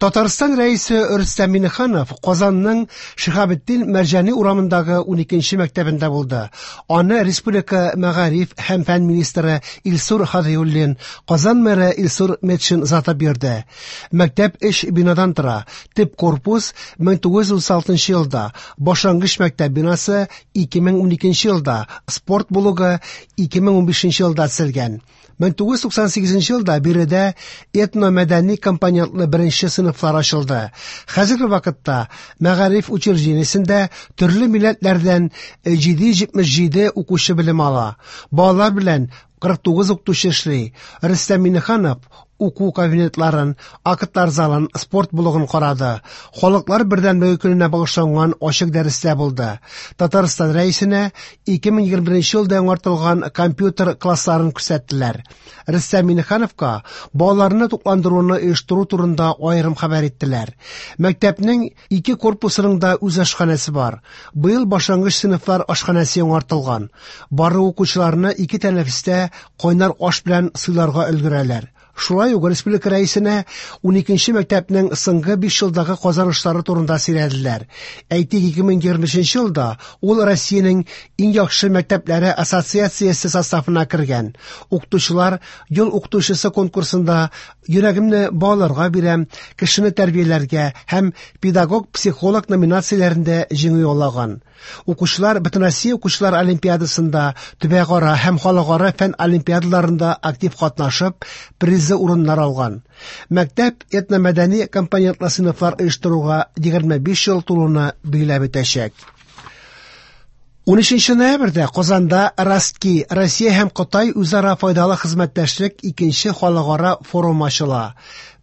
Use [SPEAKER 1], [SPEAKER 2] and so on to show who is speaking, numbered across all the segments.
[SPEAKER 1] Татарстан Рәисе Рөстәм Миңнеханов Казанның Шиһабетдин Мәрҗани урамындагы 12нче мәктәбендә булды. Аны республика мәгариф һәм фән министры Илсур Һадиуллин, Казан мэры Илсур Метшин озатып йөрде. Мәктәп өч бинадан тора. Төп корпус 1936 елда, башлангыч мәктәп бинасы 2012 елда, спорт блогы 2015 елда төзелгән. 1998 елда биредә этномәдәни компонентлы беренче сыйныфлар ачылды. Хәзерге вакытта мәгариф учреждениесендә төрле милләтләрдән 777 укучы белем ала. Балалар белән 49 укытучы эшли. Рөстәм Миңнеханов уку кабинетларын, актлар залын, спорт блогын карады. Халыклар бердәмлеге көненә багышланган ачык дәрестә булды. Татарстан Рәисенә 2021 елда яңартылган компьютер классларын күрсәттеләр. Рөстәм Миңнехановка балаларны тукландыруны оештыру турында аерым хәбәр иттеләр. Мәктәпнең ике корпусының да үз ашханәсе бар. Быел башлангыч сыйныфлар ашханәсе яңартылган. Барлык укучыларны ике тәнәфестә кайнар аш белән сыйларга өлгерәләр. Шулай ук республика рәисенә 12нче мәктәпнең соңгы 5 елдагы казанышлары турында сөйләделәр. Әйтик, 2023 елда ул Россиянең иң яхшы мәктәпләре ассоциациясе составына кергән. Укытучылар ел укытучысы конкурсында йөрәгемне балаларга бирәм, кешене тәрбияләргә һәм педагог-психолог номинацияләрендә җиңү яулаган. Укучылар Бөтенроссия укучылар олимпиадасында, төбәкара һәм халыкара фән олимпиадаларында актив катнашып, призлы урыннар алган. Мәктәп этномәдәни компонентлы сыйныфлар оештыруга 25 ел тулуны билгеләп үтәчәк. 13 ноябрьдә Казанда Ростки, Россия һәм Кытай үзара файдалы хезмәттәшлек икенче халыкара форумы ачыла.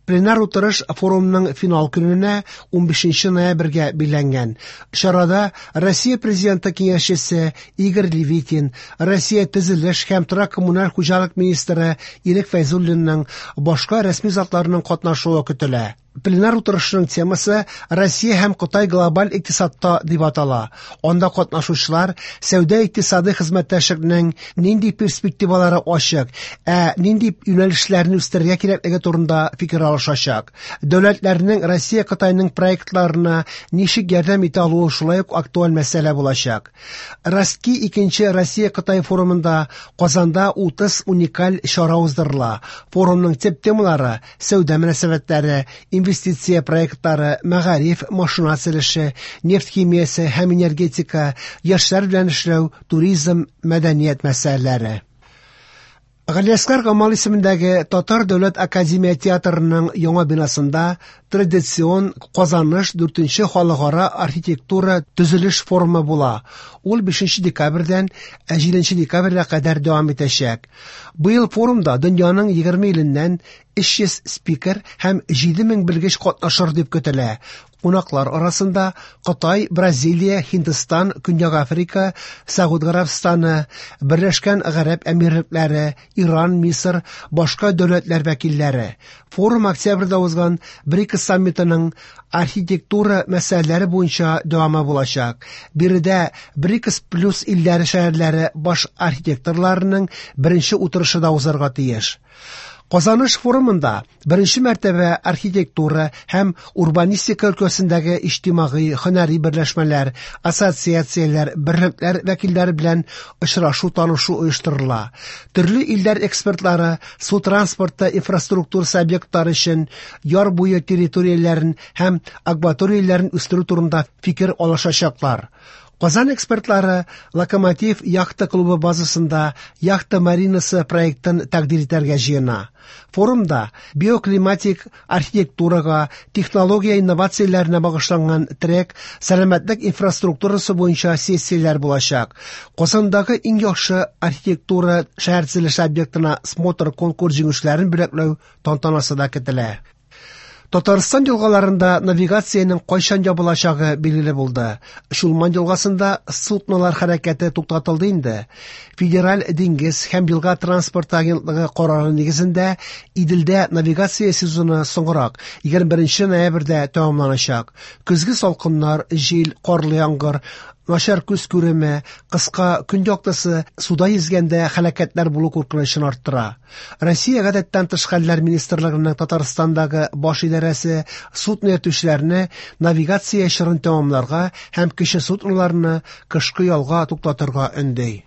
[SPEAKER 1] Пленар утырыш форумның финал көненә 15 ноябрьгә билгеләнгән. Чарада Россия Президенты киңәшчесе Игорь Левитин, Россия төзелеш һәм торак коммуналь хуҗалык министры Ирек Фәйзуллинның башка рәсми затларының катнашуы көтелә. Пленар утырышның темасы Россия һәм Кытай глобаль икътисадта дип атала. Анда катнашучылар сәүдә икътисади хезмәттәшлекнең нинди перспективалары ачык, ә нинди юнәлешләрне үстерергә кирәклеге турында фикер алышачак. Дәүләтләрнең Россия Кытайның проектларына ничек ярдәм итә алуы шулай ук актуаль мәсьәлә булачак. Ростки икенче Россия Кытай форумында Казанда 30 уникаль чара уздырыла. Форумның төп темалары сәүдә мөнәсәбәтләре, инвестиция проектлары, мәгариф, машина төзелеше, нефть химиясе һәм энергетика, яшьләр белән эшләү, туризм, мәдәният мәсьәләләре. Галиәсгар Камал исемендәге Татар дәүләт академия театрының яңа бинасында традицион Казаныш 4нче халыкара архитектура төзелеш форумы була. Ул 5 декабрьдән 7 декабрьгә кадәр дәвам итәчәк. Быел форумда дөньяның 20 иленнән 300 спикер һәм 7000 белгеч катнашыр дип көтелә. Кунаклар арасында Кытай, Бразилия, Һиндстан, Көньяк Африка, Сәгуд Гарәбстаны, Берләшкән Гарәп Әмирлекләре, Иран, Мисыр, башка дәүләтләр вәкилләре. Форум октябрьдә узган БРИКС саммитының архитектура мәсьәләләре буенча дәвамы булачак. Биредә БРИКС плюс илләре шәһәрләре баш архитекторларының беренче утырышы да узарга тиеш. Казаныш форумында беренче мәртәбә архитектура һәм урбанистика өлкәсендәге иҗтимагый, һөнәри берләшмәләр, ассоциацияләр, берлекләр вәкилләре белән очрашу танышу оештырыла. Төрле илләр экспертлары су транспорты инфраструктурасы объектлары өчен яр буе территорияләрен һәм акваторияләрен үстерү турында фикер алышачаклар. Казан экспертлары Локомотив яхта клубы базасында яхта маринасы проектын тәкъдир итәргә җыена. Форумда биоклиматик архитектурага, технология инновацияләренә багышланган трек, сәламәтлек инфраструктурасы буенча сессияләр булачак. Казандагы иң яхшы архитектура шәһәр төзелеше объектына смотр конкурс җиңүчеләрен бүләкләү тантанасы да көтелә. Татарстан елгаларында навигациянең кайчан ябылачагы билгеле булды. Чулман елгасында суднолар хәрәкәте туктатылды инде. Федераль диңгез һәм елга транспорты агентлыгы карары нигезендә Иделдә навигация сезоны соңрак, 21 ноябрьдә тәмамланачак. Көзге салкыннар, җил, карлы яңгыр, Начар күз күреме, кыска көн яктысы суда йөзгәндә һәлакәтләр булу куркынычын арттыра. Россия Гадәттән тыш хәлләр министрлыгының Татарстандагы баш идарәсе судно йөртүчеләрне навигация чорын тәмамларга һәм кече судноларны кышкы ялга туктатырга өнди.